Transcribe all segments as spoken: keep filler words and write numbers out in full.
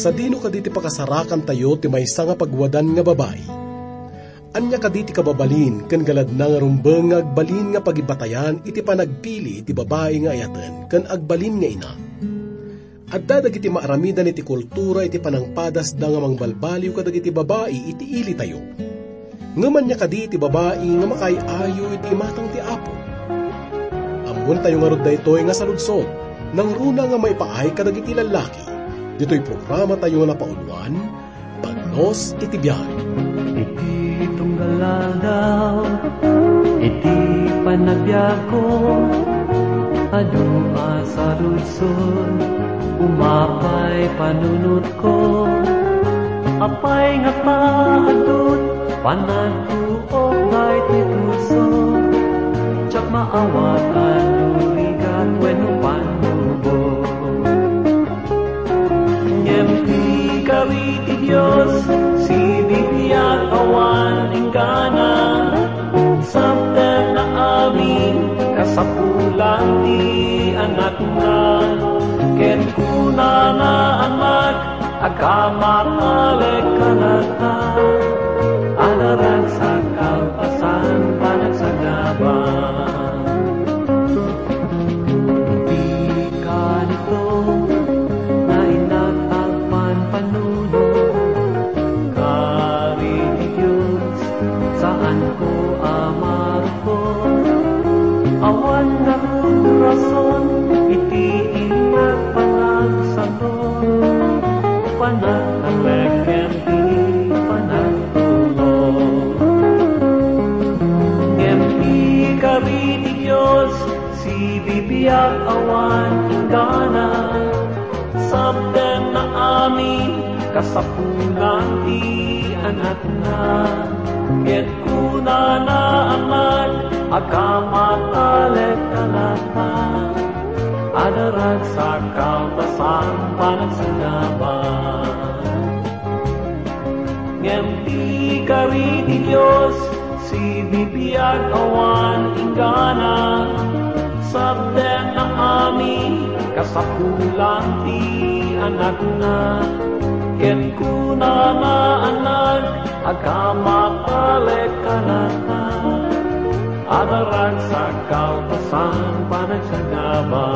Sadino kadi ti pakasarakantayo ti maysa nga pagwadan nga babai? Ania kadi ti kababalin ken galadna nga rumbeng nga agbalin nga pagibatayan iti panagpili iti babai nga ayaten ken agbalin nga ina? Adda dagiti maaramidan iti kultura iti panangpadasda nga mangbalbaliw kadagiti babai iti ilitayo. Ngem ania kadi ti babai nga makaay-ayo iti imatang ti Apo? Ammoentayo ngarud daytoy nga saludsod, nangruna nga maipaay kadagiti lallaki. Ditoy programatayo nga napauluan, Pagnos iti Biag. Iti tunggal aldaw, iti panagbiagko, adu a saludsod, umapay panunot ko, apay nga paadut, panagtuok daytoy puso, diak maawat a no rigat wenno pannubo. Ngem ti kari ti Dios, sibibiag awan inggana, sabdeng amin kasapulan ti anakna, ket kunana, Anak, agkammatalek kanata, adda ragsak kalpasan panagsagaba. Ti kanito, nainnak agpanpanunot, kari ti Dios, saanko a marukot. Awan ngarud rason iti innak panagsaton, panagtalek ken ti panagtulong. Ngem ti kari ti Dios, sibibiag awan inggana, sabdeng amin kasapulan ti anakna, ket kunana, Anak, agkammatalek kanata, adda ragsak kalpasan panagsagaba. Ngem ti kari ti Dios, sibibiag awan inggana, sabdeng amin kasapulan ti anakna, ket kunana, Anak, agkammatalek kanata, adda ragsak kalpasan panagsagaba.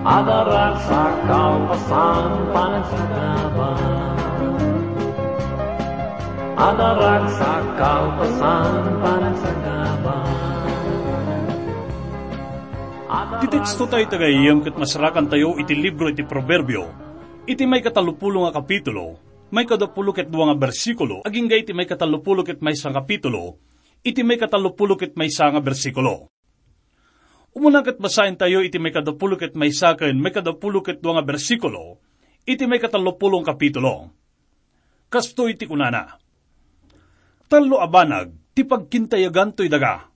Adda ragsak kalpasan panagsagaba. Adda ragsak kalpasan panagsagaba. Ti tekstotayo iti gayyem ket masarakantayo iti libro iti Proverbio, iti maikatallopulo nga kapitulo, maikaduapulo ket dua nga bersikulo, agingga iti maikatallopulo ket maysa nga kapitulo, iti maikatallopulo ket maysa nga bersikulo. Umuna ket basaentayo iti maikaduapulo ket maysa ken maikaduapulo ket dua nga bersikulo iti maikatallopulo nga kapitulo. Kastoy ti kunana, "Tallo a banag ti pagkintayagan toy daga,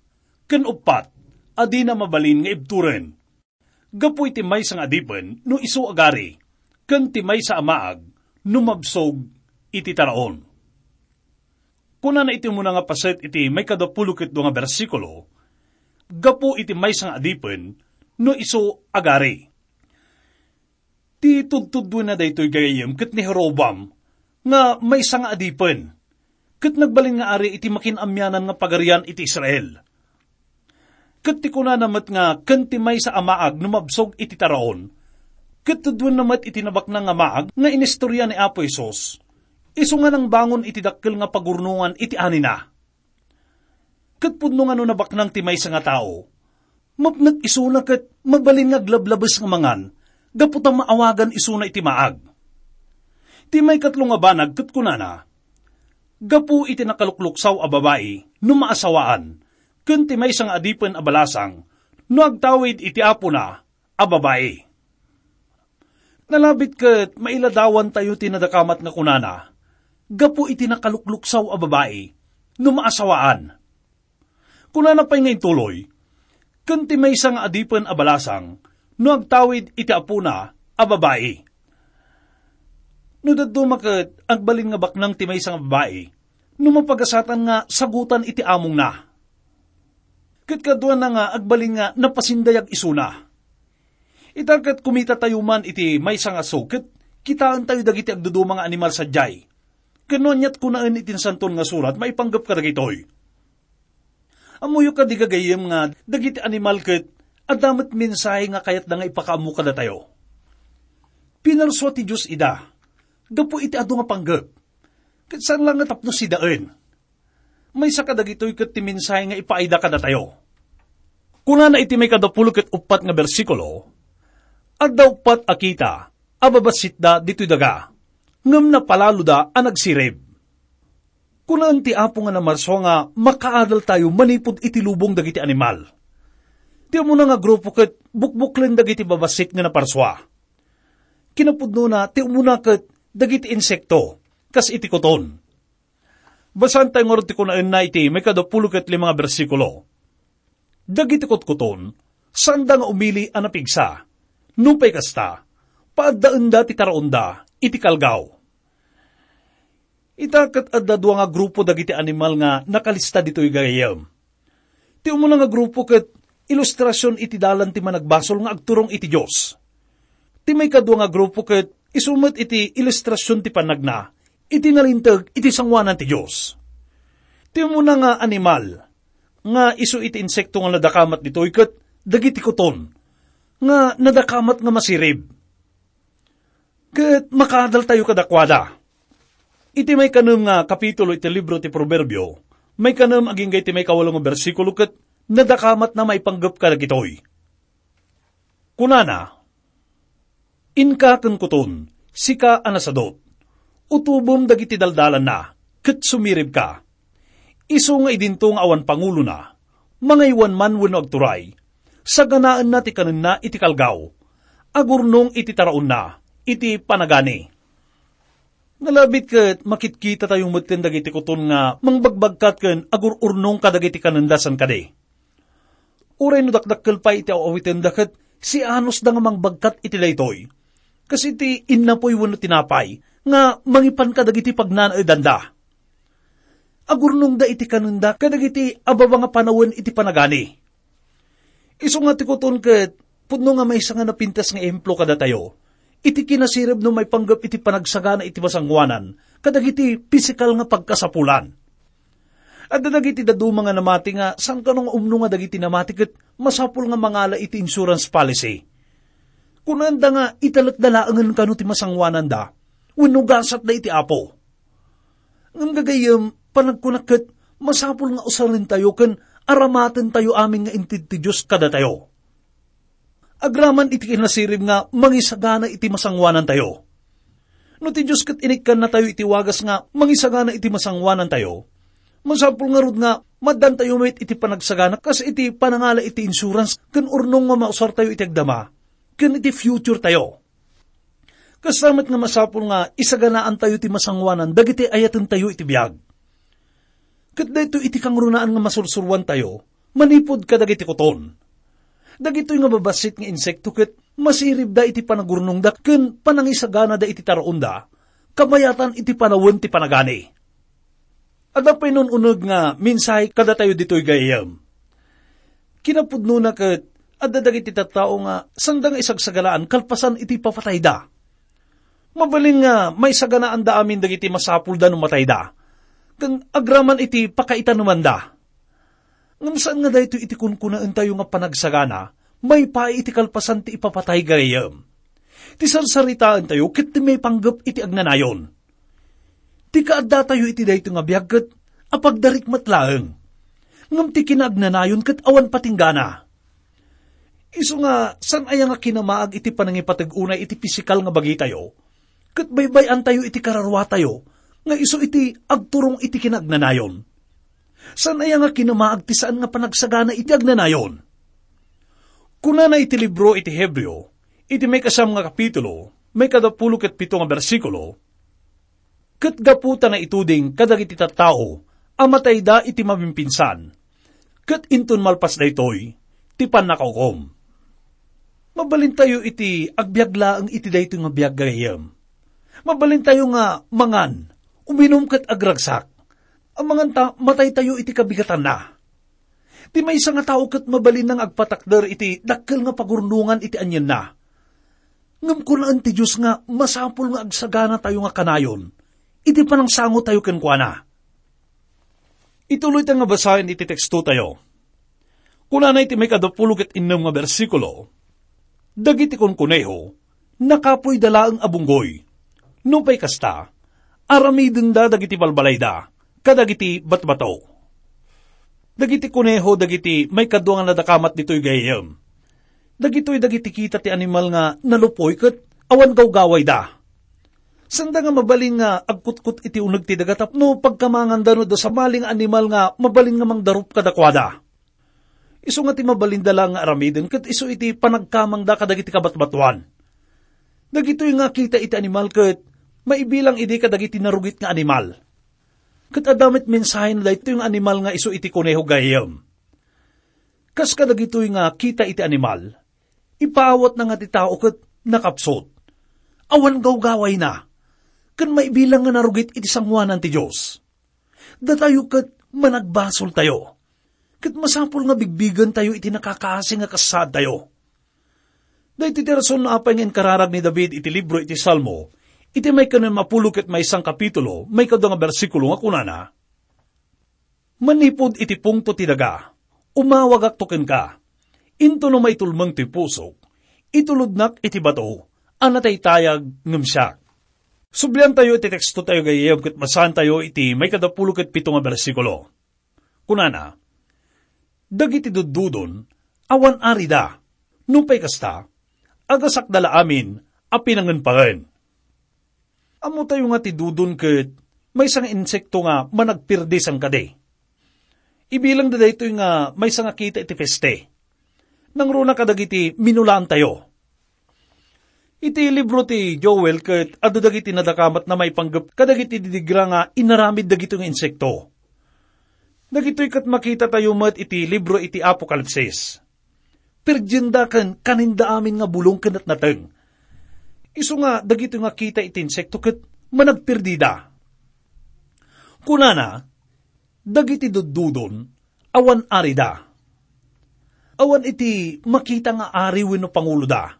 ken uppat a dina mabalin nga ibturen. Gapu iti maysa nga adipen no isu agari, ken ti maysa a maag no mabsog iti taraon." Kunana iti umuna nga paset iti maikaduapulo ket dua nga bersikulo, "Gapu iti maysa nga adipen no isu agari." Ti tudtuduenna daytoy gayyem ket ni Jeroboam nga maysa nga adipen, ket nagbalin nga ari iti makin-amianan nga pagarian iti Israel. Ket ti kunana met nga ken ti maysa a maag no mabsog iti taraon, ket tudtuenna met iti nabaknang nga maag nga inistorya ni Apo Jesus, isu nga nangbangon iti dakkel nga pagurnongan iti anina. Ket pudno nga no nabaknang ti maysa nga tao, mapnek isuna ket mabalin nga aglablabes nga mangan gapu ta maawagan isuna iti maag. Ti maikatlo nga banag ket kunana, "Gapu iti nakalukluksaw a babai no maasawaan, ken ti maysa nga adipen a balasang no agtawid iti apona a babai." Nalabit ket mailadawantayo ti nadakamat nga kunana, "Gapu iti nakalukluksaw a babai no maasawaan." Kunana pay nga intuloy, "Ken ti maysa nga adipen a balasang no agtawid iti apona a babai." No dadduma ket agbalin nga baknang ti maysa nga babai no mapagasatan nga sagutan iti amongna. Ket kaduana nga agbalin nga napasindayag isuna. Ita ket kumitatayo man iti maysa nga aso ket kitaentayo dagiti agduduma nga animal sadiay. Ken no aniat kunaen iti Nasantoan nga Surat maipanggep kadagitoy? Ammoyo kadi gagayyem nga dagiti animal ket adda met mensahe nga kayatda nga ipakaammo kadatayo? Pinarsua ti Dios ida gapu iti adu nga panggep, ket saan la nga tapno sidaen. Maysa kadagitoy ket ti mensahe nga ipaayda kadatayo. Kunana iti maikadapulo ket uppat nga bersikulo, "Adda uppat a kita a babassitda ditoy daga, ngem napalaloda a nagsirib." Kunaen ti Apo nga namarsua nga makaadaltayo manipud iti lubong dagiti animal. Ti umuna nga grupo ket bukbuklen dagiti babassit nga naparsua. Kinapudnona, ti umuna ket dagiti insekto, kas iti kuton. Basaentayo ngarud ti kunaenna iti maikadapulo ket lima nga bersikulo. Dagiti kutkuton, saanda nga umili a napigsa. Nupay kasta, paaddaenda ti taraonda iti kalgaw. Ita ket adda dua nga grupo dagiti animal nga nakalista ditoy gagayyem. Ti umuna nga grupo ket ilustrasion iti dalan ti managbasol nga agturong iti Dios. Ti maikadua nga grupo ket isu met iti ilustrasion ti panagna iti nalinteg iti sangoanan ti Dios. Ti umuna nga animal nga isu iti insekto nga nadakamat ditoy ket dagiti kuton nga nadakamat nga masirib. Ket makaadaltayo kadakuada. Iti maikanem nga kapitulo iti libro ti Proverbio, maikanem agingga iti maikawalo nga bersikulo ket nadakamatna maipanggep kadagitoy. Kunana, "Inka ken kuton, sika a nasadut, utobem dagiti daldalanna, ket sumiribka. Isu nga idinto nga awan pangulona, mangaywan man wenno agturay, saganaenna ti kanenna iti kalgaw, agurnong iti taraonna iti panagani." Nalabit ket makitkitatayo metten dagiti kuton nga mangbagbagkat ken agur-urnong kadagiti kanenda san kadi. Uray no dakdakkel pay iti aw-awitenda ket sianosda nga mangbagkat iti daytoy, kas iti innapoy wenno tinapay nga mangipan kadagiti pagnanaedanda. Agurnongda iti kanenda kadagiti ababa nga panawen iti panagani. Isu nga ti kuton ket pudno nga maysa nga napintas nga ehemplo kadatayo iti kinasirib no maipanggep iti panagsagana iti masangoanan kadagiti pisikal nga pagkasapulan. Adda dagiti dadduma nga namati nga saan kano nga umno nga dagiti namati ket masapul nga mangala iti insurance policy. Kunaenda nga italekda laengen kano ti masangoananda wenno gasatda iti Apo. Ngem gagayyem, panagkunak ket masapul nga usarentayo ken aramatentayo amin nga inted ti Dios kadatayo. Agraman iti kinasirib nga mangisagana iti masangoanantayo. No ti Dios ket inikkannatayo iti wagas nga mangisagana iti masangoanantayo, masapul ngarud nga maddantayo met iti panagsagana kas iti panangala iti insurance ken urnong nga mausartayo iti agdama ken iti future tayo. Kasta met nga masapul nga isaganaantayo ti masangoanan dagiti ayatentayo iti biag. Ket daytoy iti kangrunaan nga masursuroantayo manipud kadagiti kuton. Dagitoy nga babassit nga insekto ket masiribda iti panagurnongda ken panangisaganada iti taraonda, kabayatan iti panawen ti panagani. Adda pay nun-uneg nga mensahe kadatayo ditoy gayyem. Kinapudnona ket adda dagiti tattao nga sanda nga isagsaganaan kalpasan iti ipapatayda. Mabalin nga maisaganaanda amin dagiti masapulda no matayda, ken agraman iti pakaitanemanda. Ngem saan nga daytoy iti kunkunaentayo nga panagsagana maipaay iti kalpasan ti ipapatay gayyem. Ti sarsaritaentayo ket ti maipanggep iti agnanayon. Ti kaaddatayo iti daytoy nga biag ket apagdarik met laeng. Ngem ti kinaagnanayon ket awan patinggana. Isu nga saan aya nga kinamaag iti panangipateg unay iti pisikal nga bagitayo, ket baybay-antayo iti kararuatayo nga isu iti agturong iti kinaagnanayon. Saan aya nga kinamaag ti saan nga panagsagana iti agnanayon? Kunana iti libro iti Hebreo, iti maikasam nga kapitulo, maikadapulo ket pito nga bersikulo, "Ket gapu ta naituding kadagiti tattao a matayda iti mabimpinsan, ket inton malpas daytoy, ti pannakaukom." Mabalintayo iti agbiag laeng iti daytoy nga biag, gayyem. Mabalintayo nga mangan, uminum ket agragsak. Amangan ta mataytayo iti kabigatanna. Ti maysa nga tao ket mabalinna nga agpatakder iti dakkel nga pagurnongan iti anienna. Ngem kunaen ti Dios nga masapul nga agsaganatayo nga kanayon iti panangsangotayo kenkuana. Ituloy ta nga basaen iti tekstotayo. Kunana iti maikadapulo ket innem nga bersikulo, "Dagiti kunkuneho, nakapoyda laeng a bunggoy. Nupay kasta, aramidenda dagiti balbalayda kadagiti batbato." Dagiti kuneho dagiti maikadua nga nadakamat ditoy gayyem. Dagitoy dagiti kita ti animal nga nalupoy ket awan gawgawayda. Sanda nga mabalin nga agkutkot iti uneg ti daga tapno pagkamanganda no adda sabali nga animal nga mabalin nga mangdarup kadakuada. Isu nga ti mabalinda laeng nga aramiden ket isu iti panagkamangda kadagiti kabatbatuan. Dagitoy nga kita iti animal ket maibilang idi kadagiti narugit nga animal. Ket adda met mensahena daytoy nga animal nga isu iti kuneho gayyem. Kas kadagitoy nga kita iti animal, ipaawatna nga ti tao ket nakapsut. Awan gawgawayna, ken maibilang nga narugit iti sangoanan ti Dios. Datayo ket managbasoltayo. Ket masapul nga bigbigentayo iti nakakaasi nga kasaadtayo. Daytoy ti rason no apay nga inkararag ni David iti libro iti Salmo, iti maikadua nga pulo ket maysa nga kapitulo, maikadua nga bersikulo nga kunana, "Manipud iti pungto ti daga, umawagakto kenka. Intono maitulmeng toy pusok, itulodnak iti bato a nataytayag ngem siak." Subliantayo iti tekstotayo gayyem ket basaentayo iti maikadapulo ket pito nga bersikulo. Kunana, "Dagiti duddudon, awan arida. Nupay kasta, agasakda la amin a pinangenpangen." Ammotayo nga ti dudon ket maysa nga insekto nga managpirdi sangkadi. Ibilangda daytoy nga maysa nga kita iti peste. Nangruna kadagiti minulaantayo. Iti libro ti Joel ket adda dagiti nadakamatna maipanggep kadagiti didigra nga inaramid dagitoy nga insekto. Dagitoy ket makitatayo met iti libro iti Apokalipsis. Pirdienda ken kaninda amin nga bulong ken natnateng. Isu nga dagitoy nga kita iti insekto ket managpirdida. Kunana, "Dagiti duddudon, awan arida. Awan iti makita nga ari wenno panguloda."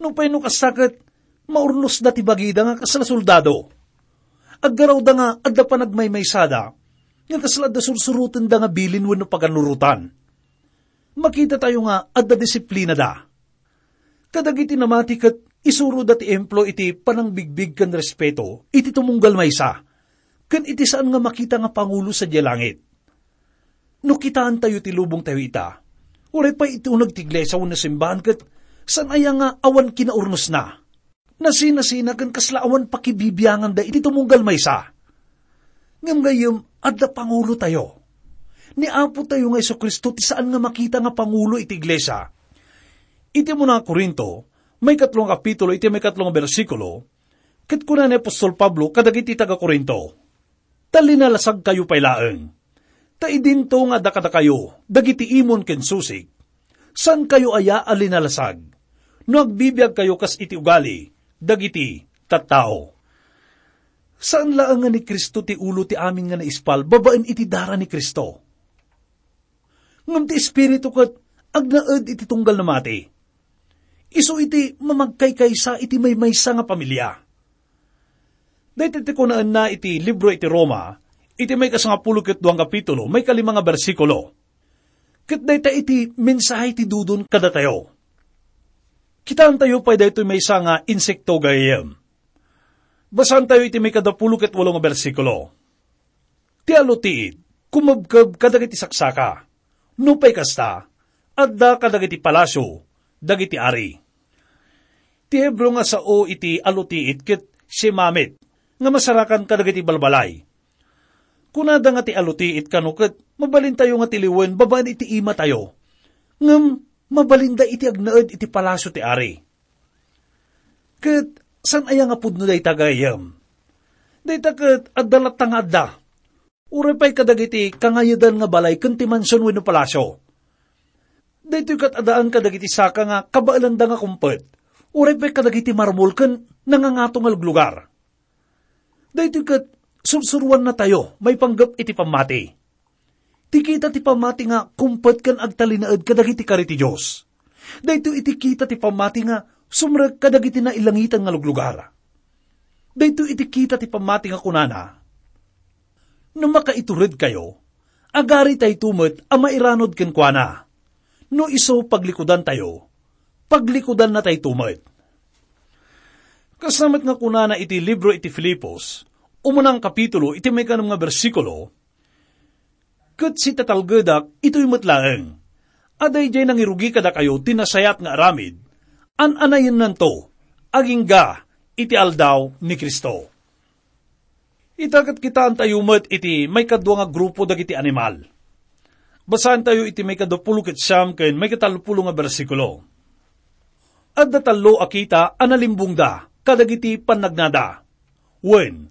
Nupay no kasta ket, maurnosda ti bagida nga kasla soldado. Aggarawda nga adda panagmaymaysada, nga kasla adda sursurotenda nga bilin wenno paganurotan. Makitatayo nga adda disiplinada. Kadagiti namati ket isuroda ti ehemplo iti panangbigbig ken respeto iti tumunggal maysa, ken iti saan nga makita nga pangulo sadiay langit. No kitaentayo ti lubongtayo ita, uray pay iti uneg ti iglesia wenno simbahan ket saan aya nga awan kinaurnosna. Nasinasina ken kasla awan pakibibianganda iti tumunggal maysa. Ngem gayyem, adda pangulotayo. Ni Apotayo nga Jesu-Cristo ti saan nga makita nga pangulo iti iglesia. Iti umuna a Corinto, maikatlo nga kapitulo, iti maikatlo nga bersikulo, ket kuna ni apostol Pablo kadagiti taga-Corinto, "Ta linalasagkayo pay laeng. Ta idinto nga adda kadakayo dagiti imon ken susig, saankayo aya a linalasag no agbibiagkayo kas iti ugali dagiti tattao?" Saan laeng nga ni Cristo ti ulo ti amin nga naispal babaen iti dara ni Cristo. Ngem ti Espiritu ket agnaed iti tunggal namati. Isu iti mamagkaykaysa iti maymaysa nga pamilia. Daytoy ti kunaenna iti libro iti Roma, iti maikasangapulo ket dua nga kapitulo, maikalima nga bersikulo. Ket dayta iti mensahe ti dudon kadatayo. Kitaentayo pay daytoy maysa nga insekto gayyem. Basaentayo iti maikadapulo ket walo nga bersikulo. Ti alutiit, kumebkeb kadagiti saksaka. Nupay kasta, adda kadagiti palasio dagiti ari. Ti Hebreo nga sao iti alutiit ket shemamit, nga masarakan kadagiti balbalay. Kunada nga ti alutiit kano ket mabalintayo nga tiliwen babaen iti imatayo. Ngem mabalinda iti agnaed iti palasio ti ari. Ket saan aya nga pudno dayta gayyem? Dayta ket adda latta nga adda. Uray pay kadagiti kangayedan nga balay ken ti mansion wenno palasio. Daytoy ket addaan kadagiti saka nga kabaelanda nga kumpet. Uray pay kadagiti marmol ken nangangato nga luglugar. Daytoy ket sursuroannatayo maipanggep iti pammati. Ti kita ti pammati nga kumpet ken agtalinaed kadagiti kari ti Dios. Daytoy iti kita ti pammati nga sumrek kadagiti nailangitan nga luglugar. Daytoy iti kita ti pammati nga kunana, "No makaituredkayo, agaritayto met a mairanod kenkuana. No isu paglikudantayo, paglikudannatayto met." Kasla met nga kunana iti libro iti Filipos, umunang kapitulo iti maikadua nga bersikulo, "Ket sitatalgedak itoy met laeng, a daydiay nangirugi kadakayo ti nasayaat nga aramid, an-anayennanto, agingga iti aldaw ni Cristo." Ita ket kitaentayo met iti maikadua nga grupo dagiti animal. Basaentayo iti maikadapulo ket siam ken maikatallopulo nga bersikulo. Adda tallo a kita a nalimbongda kadagiti pannagnada. Wen,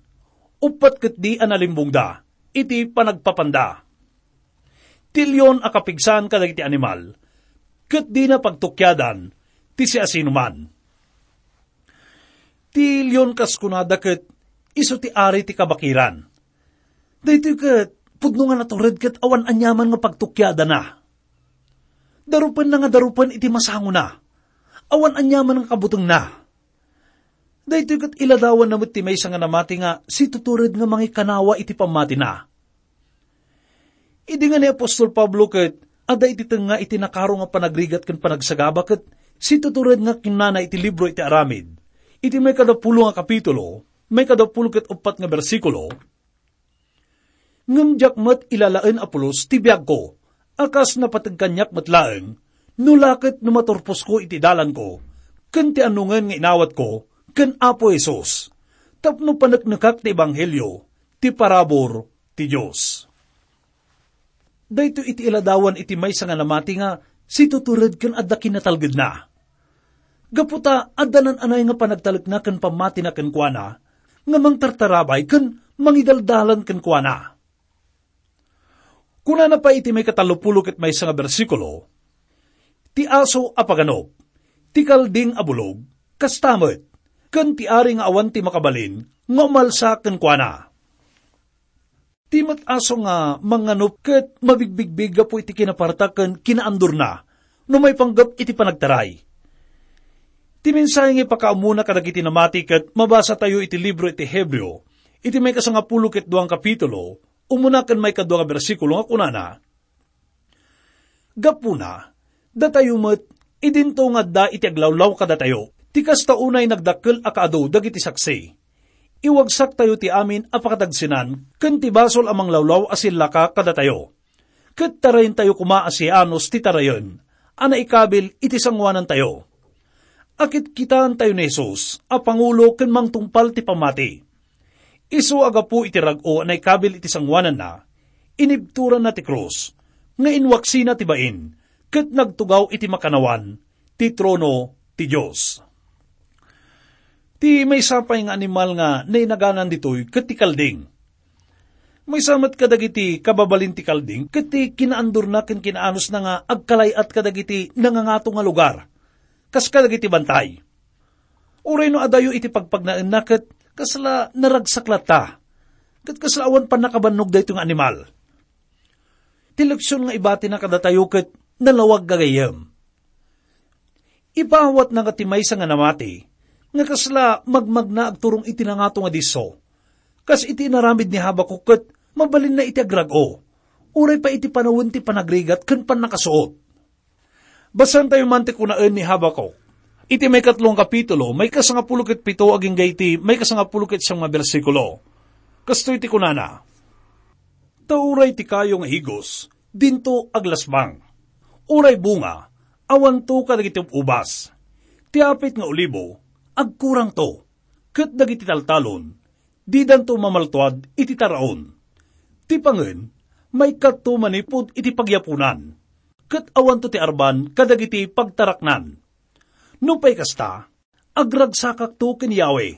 uppat ketdi a nalimbongda iti panagpapanda. Ti leon a kapigsan kadagiti animal, ket dina pagtukiadan ti siasinoman. Ti leon kas kunada ket isu ti ari ti kabakiran. Daytoy ket pudno nga natured ket awan aniaman nga pagtukiadana. Darupenna nga darupen iti masangona. Awan aniaman nga kabutengna. Daytoy ket iladawanna met ti maysa nga namati nga situtured nga mangikanawa iti pammatina. Idi nga ni apostol Pablo ket adda iti tengnga iti nakaro nga panagrigat ken panagsagaba ket situtured nga kinnana iti libro iti Aramid, iti maikadapulo nga kapitulo, maikadapulo ket uppat nga bersikulo, "Ngem diak met ilalaen a pulos ti biagko, a kas napateg kaniak met laeng, no la ket no maturposko iti dalanko, ken ti annongen nga inawatko ken Apo Jesus, tapno paneknekak ti ebanghelio ti parabur ti Dios." Daytoy iti iladawan iti maysa nga namati nga situtured ken adda kinatalgedna. Gapu ta adda nan-anay nga panagtalekna ken pammatina kenkuana, nga mangtartarabay ken mangidaldalan kenkuana. Kunana pay iti maikatallopulo ket maysa nga bersikulo, "Ti aso a paganop, ti kalding a bulog, kasta met, ken ti ari nga awan ti makabalin nga umalsa kenkuana." Ti met aso nga manganop ket mabigbigbig gapu iti kinapartak ken kinaandurna no maipanggep iti panagtaray. Ti mensahe nga ipakaammona kadagiti namati ket mabasatayo iti libro iti Hebreo, iti maikasangapulo ket duang kapitulo, umuna ken maikadua nga bersikulo nga kunana, "Gapuna, datayo met, idinto nga adda iti aglawlaw kadatayo, ti kasta unay nagdakkel a kaadu dagiti saksi. Iwagsaktayo ti amin a pakadagsenan ken ti basol a manglawlaw a sillaka kadatayo. Ket tarayentayo koma a sianos ti tarayen a naikabil iti sangoanantayo. Akitkitaentayo ni Jesus a pangulo ken mangtungpal ti pammati. Isu a gapu iti rag-o a naikabil iti sangoananna, inibturanna ti krus nga inwaksina ti bain ket nagtugaw iti makannawan ti trono ti Dios." Ti maysa pay nga animal nga nainaganan ditoy ket ti kalding. Maysa met kadagiti kababalin ti kalding ket ti kinaandurna ken kinaanosna nga agkalay-at kadagiti nangangato nga lugar, kas kadagiti bantay. Uray no adayo iti pagpagnaenna ket kasla naragsak latta, ket kasla awan pannakabannog daytoy nga animal. Ti leksion nga ibatina kadatayo ket nalawag gagayyem. Ipaawatna nga ti maysa nga namati, nga kasla magmagna agturong iti nangato nga disso. Kas iti inaramid ni Habacuc ket mabalinna iti agrag-o, uray pay iti panawen ti panagrigat ken pannakasuot. Basaentayo man ti kunaen ni Habacuc, iti maikatlo nga kapitulo, maikasangapulo ket pito agingga iti maikasangapulo ket siam nga bersikulo. Kastoy ti kunana, "Ta uray ti kayo nga igos, dinto aglasbang. Uray bunga, awanto kadagiti ub-ubas. Ti apit nga olibo, agkurangto. Ket dagiti taltalon, didanto mamaltuad iti taraon. Ti pangen, maikkato manipud iti pagyapunan. Ket awanto ti arban kadagiti pagtaraknan. Nupay kasta, agragsakakto ken Yahweh.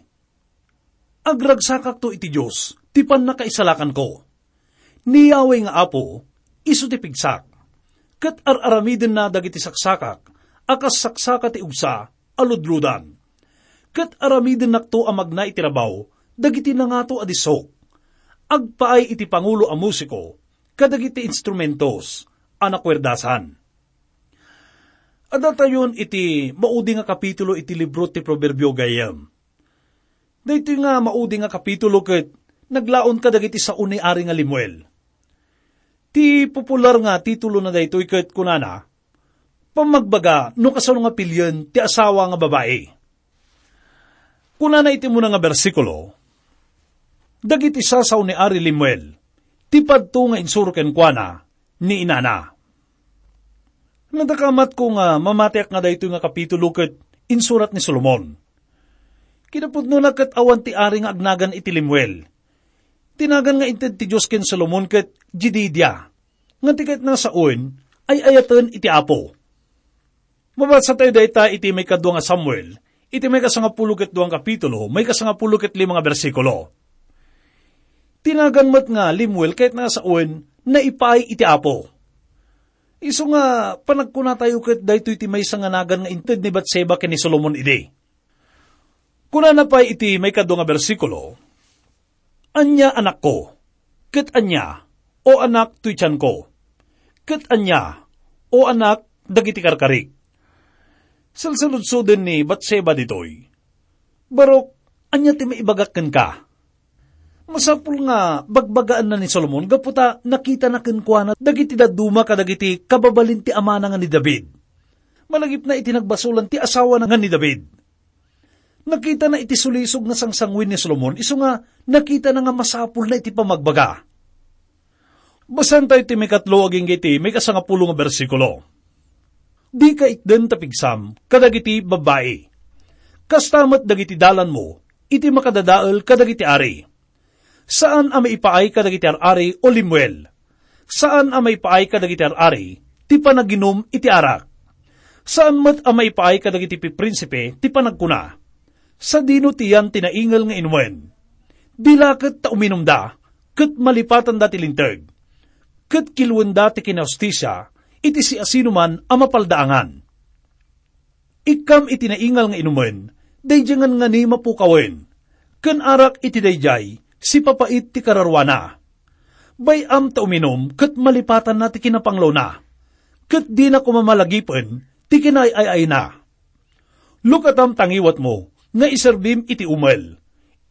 Agragsakakto iti Dios ti pannakaisalakanko. Ni Yahweh nga Apo, isu ti pigsak. Ket ar-aramidenna dagiti saksakak a kas saksaka ti ugsa a ludludan. Ket aramidennakto a magna iti rabaw dagiti nangato a dissok. Agpaay iti pangulo a musiko kadagiti instrumentos a nakuerdasan." Adda tayon iti maudi nga kapitulo iti libro ti Proverbio, gayyem. Daytoy nga maudi nga kapitulo ket naglaon kadagiti sao ni Ari nga Lemuel. Ti popular nga titulona daytoy ket kunana, "Pammagbaga no kasano nga pilien ti asawa nga babai." Kunana iti umuna nga bersikulo, "Dagiti sasao ni Ari Lemuel, ti padto nga insuro kenkuana ni inana." Nadakamatko nga mamatiak nga daytoy nga kapitulo ket insurat ni Solomon. Kinapudnona ket awan ti ari nga agnagan iti Lemuel. Ti nagan nga inted ti Dios ken Solomon ket Jedidia, nga ti kayatna nga sawen, ay-ayaten iti Apo. Mabasa tayo dayta iti maikadua nga Samuel, iti maikasangapulo ket dua nga kapitulo, maikasangapulo ket lima nga bersikulo. Ti nagan met nga Lemuel kayatna nga sawen, naipaay iti Apo. Isu nga panagkuna tayo ket daytoy ti maysa nga nagan nga inted ni Batseba ken ni Solomon idi. Kunana pay iti maikadua nga bersikulo, "Ania, anakko? Ket ania, o anak, toy tianko? Ket ania, o anak, dagiti karkarik?" Salsaludsoden ni Batseba ditoy, "Barok, ania ti maibagak kenka?" Masapul nga bagbagaenna ni Solomon gapu ta nakitana kenkuana dagiti dadduma kadagiti kababalin ti amana nga ni David. Malagipna iti nagbasolan ti asawana nga ni David. Nakitana iti sulisog nga sangsanguin ni Solomon, isu nga nakitana nga masapulna iti pamagbaga. Basaen tayo ti maikatlo agingga iti maikasangapulo nga bersikulo. "Dika itden ta pigsam kadagiti babbai. Kasta met dagiti dalanmo iti makadadael kadagiti ari. Saan a maipaay kadagiti ar-ari, o Lemuel. Saan a maipaay kadagiti ar-ari ti panaginum iti arak. Saan met a maipaay kadagiti piprinsipe ti panagkuna, 'Sadino ti yan ti naingel nga inumen?' Dilaket ta uminumda, ket malipatanda ti linteg, ket kiluenda ti kinahustisia iti siasinoman a mapaldaangan. Ikkam iti naingal nga inumen, daydiay ngangani mapukawen, ken arak iti daydiay sipapait ti kararuana. Bay-am ta uminum ket malipatanna ti kinapanglawna, ket dina koma malagipen ti kinaay-ayna. Lukatam ta ngiwatmo nga iserbim iti umel,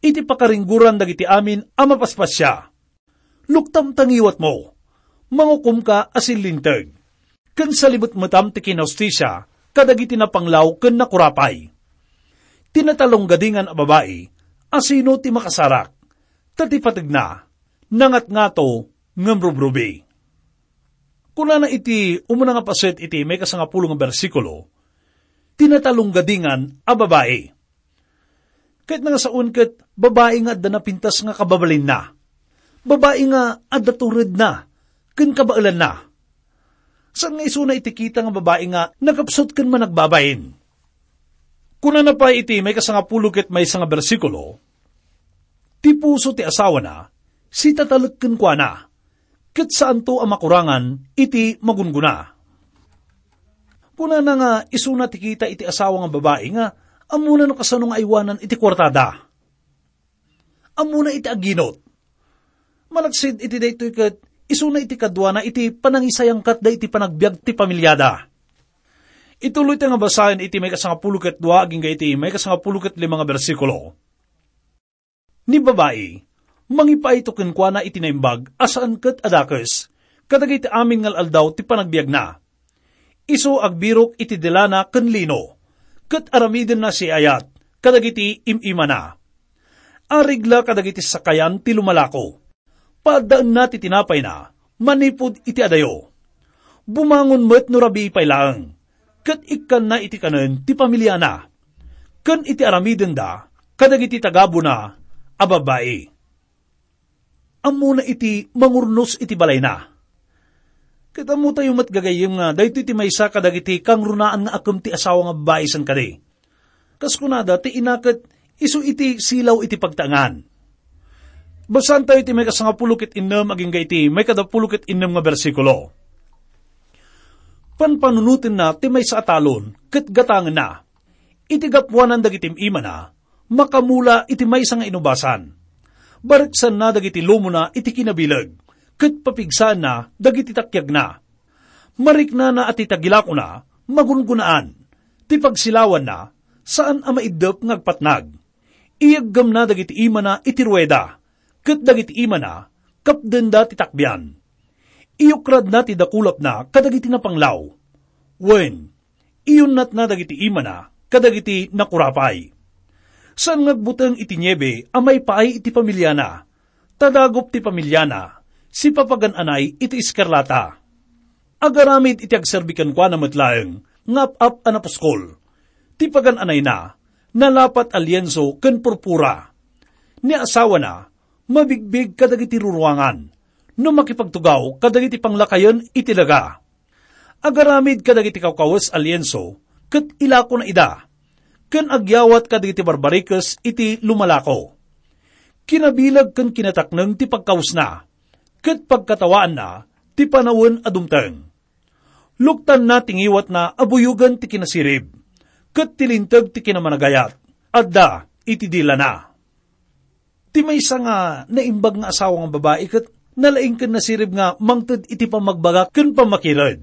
iti pakaringgoran dagiti amin a mapaspasia. Luktam ta ngiwatmo, mangukomka a sinlinteg, ken salimetmetam ti kinahustisia kadagiti napanglaw ken nakurapay. Ti natalunggadingan a babai, asino ti makasarak? Ta ti pategna, nangatngato ngem rubrubi." Kunana iti umuna nga paset iti maikasangapulo nga bersikulo, ti natalunggadingan a babai. Ket nangasaon ket babai nga adda napintas nga kababalinna. Babai nga adda turedna ken kabaelanna. Saan nga isuna iti kita nga babai nga nakapsut ken managbabain. Kunana pay iti maikasangapulo ket maysa nga bersikulo, "Ti puso ti asawana, sitatalek kenkuana, ket saanto a makurangan iti magunggona." Kunana nga isuna ti kita iti asawa nga babai nga ammona no kasano nga aywanan iti kuartada. Ammona iti aginot. Malaksid iti daytoy ket isuna iti kaduana iti panangisayangkatda iti panagbiag ti pamiliada. Ituloy ta nga basaen iti maikasangapulo ket dua agingga iti maikasangapulo ket lima nga bersikulo. Ni babai, mangipaayto kenkuana iti naimbag a saan ket a dakes kadagiti amin nga al-aldaw ti panagbiagna. Isu agbirok iti delana ken lino, ket aramidenna siayat kadagiti im-imana. Arigla kadagiti sakayan ti lumalako. Paaddaenna ti tinapayna manipud iti adayo. Bumangon met no rabii pay laeng, ket ikkanna iti kanen ti pamiliana, ken iti aramidenda kadagiti tagabuna a babbai. Ammona iti mangurnos iti balayna. Ket ammotayo met, gagayyem, nga daytoy ti maysa kadagiti kangrunaan nga akem ti asawa nga babbai sen kadi. Kas kunada, ti ina ket isu iti silaw iti pagtaengan. Basaantayo iti maikasangapulo ket innem agingga iti maikadapulo ket innem nga bersikulo. Panpanunotenna ti maysa a talon ket gatangenna. Iti gapuanan dagiti im-imana, makamula iti maysa nga inubasan. Bareksanna dagiti lumona iti kinabileg, ket papigsaanna dagiti takiagna. Mariknana a ti tagilakona, Magungunaan ti pagsilawanna, saan a maiddep nga agpatnag. Iyeggemna dagiti imana iti rueda, ket dagiti imana, kapdenda ti takbian. Iyukradna ti dakulapna kadagiti napanglaw. Wen, iyunnatna dagiti imana kadagiti nakurapay. Saan nga agbuteng iti niebe a maipaay iti familiana, ta dagup ti familiana, sipapagan-anay iti eskarlata. Agaramid iti agserbi kenkuana met laeng nga ap-ap a napuskol. Ti pagan-anayna, nalapat a lienso ken purpura. Ni asawana, mabigbig kadagiti ruruangan, no makipagtugaw kadagiti panglakayen iti daga. Agaramid kadagiti kawkawes a lienso, ket ilakona ida, ken agyawat kadagiti barbarikes iti lumalako. Kinabileg ken kinatakneng ti pagkawesna, ket pagkatawaanna ti panawen a dumteng. Luktanna ti ngiwatna a buyogen ti kinasirib, ket ti linteg ti kinamanagayat, adda iti dilana. Ti maysa nga naimbag nga asawa nga babai ket nalaing ken nasirib nga mangted iti pammagbaga ken pammakired.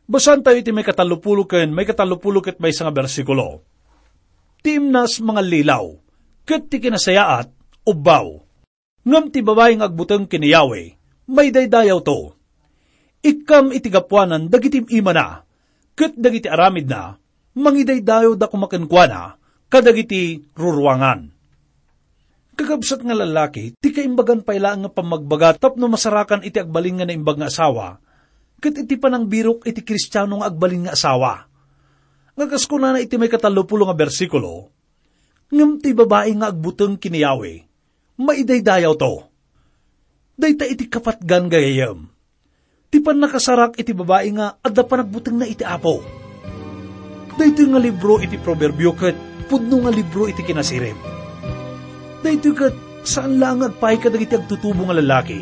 Basaentayo iti maikatallopulo ken maikatallopulo ket maysa nga bersikulo. Ti imnas mangallilaw, ket ti kinasayaat, ubbaw. Ngem ti babai nga agbuteng ken ni Yahweh, maidaydayawto. Ikkam iti gapuanan dagiti imana, ket dagiti aramidna, mangidaydayawda koma kenkuana kadagiti ruruangan. Kakabsat nga lallaki, ti kaimbagan pay laeng nga pammagbaga tapno masarakan iti agbalin nga naimbag nga asawa, ket iti panangbirok iti Kristiano nga agbalin nga asawa. Nga kas kunana iti maikatallopulo nga bersikulo, ngem ti babai nga agbuteng ken ni Yahweh, maidaydayawto. Dayta iti kapatgan, gagayyem. Ti pannakasarak iti babai nga adda panagbutengna iti Apo. Daytoy nga libro iti Proverbio ket pudno nga libro iti kinasirib. Daytoy ket saan laeng nga agpaay kadagiti agtutubo nga lallaki,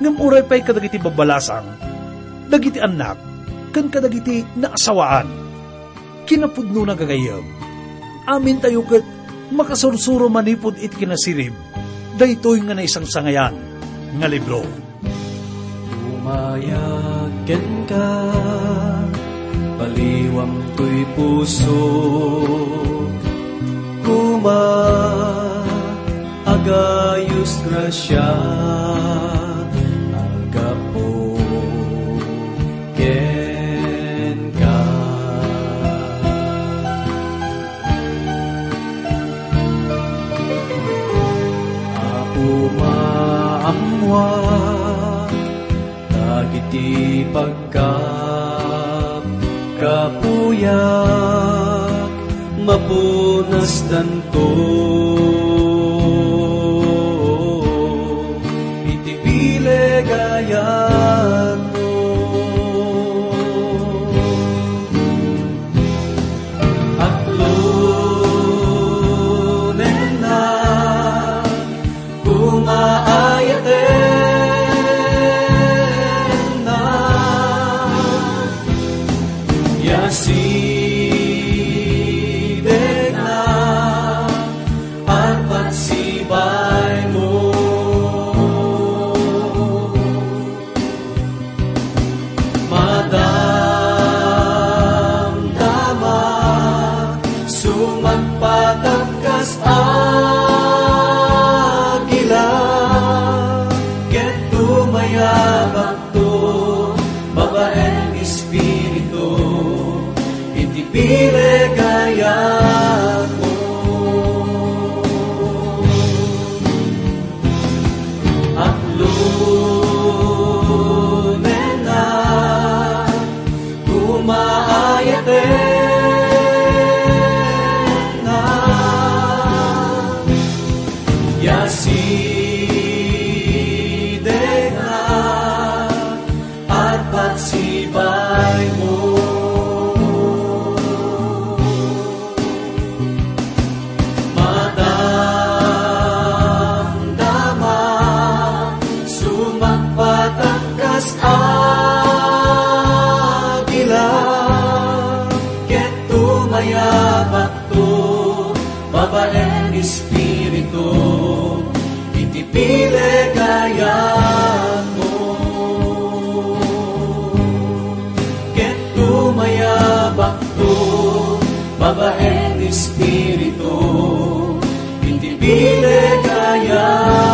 ngem uray pay kadagiti babbalasang, dagiti annak, ken kadagiti naasawaan. Kinapudnona, gagayyem, amintayo ket makasursuro manipud iti kinasirib daytoy nga naisangsangayan nga libro. Umayag kenka, baliwam toy puso, kuma, agayos grasia, aggapu kenka. Apo, maammoak dagiti pagkapkapuyak, mapunasdanto iti bileg a ayatmo. Atlonennak, kuma, ayatennak, ya sidegnak, arpat sibaimo. Madamdama, sumagpatag kas agila, ket tumayabakto babaen espiritu, iti bileg a ayatmo. Atlonennak, kuma, ayatennak, ya sidegnak, arpat sibaimo. Madamdama, sumagpatag kas agila, ket tumayabakto babaen espiritu, iti bileg a ayatmo. Ket tumaya Babaen Espiritu, iti bileg aya.